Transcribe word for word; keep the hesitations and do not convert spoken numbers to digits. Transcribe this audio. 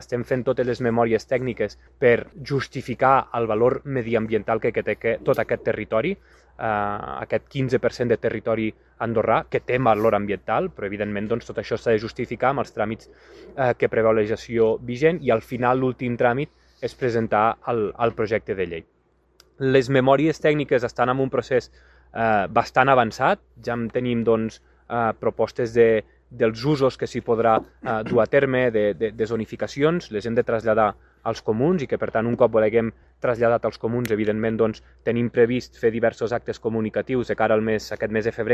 Estem fent totes les memòries tècniques per justificar el valor mediambiental que té tot aquest territori, eh, aquest quinze per cent de territori andorrà, que té valor ambiental, però evidentment doncs, tot això s'ha de justificar amb els tràmits eh, que preveu la legislació vigent i al final l'últim tràmit és presentar el, el projecte de llei. Les memòries tècniques estan en un procés eh, bastant avançat, ja en tenim doncs, eh, propostes de dels usos que s'hi podrà eh, dur a terme, de, de, de zonificacions, les hem de traslladar als comuns i que, per tant, un cop ho haguem traslladat als comuns, evidentment, doncs, tenim previst fer diversos actes comunicatius de cara al mes, aquest mes de febrer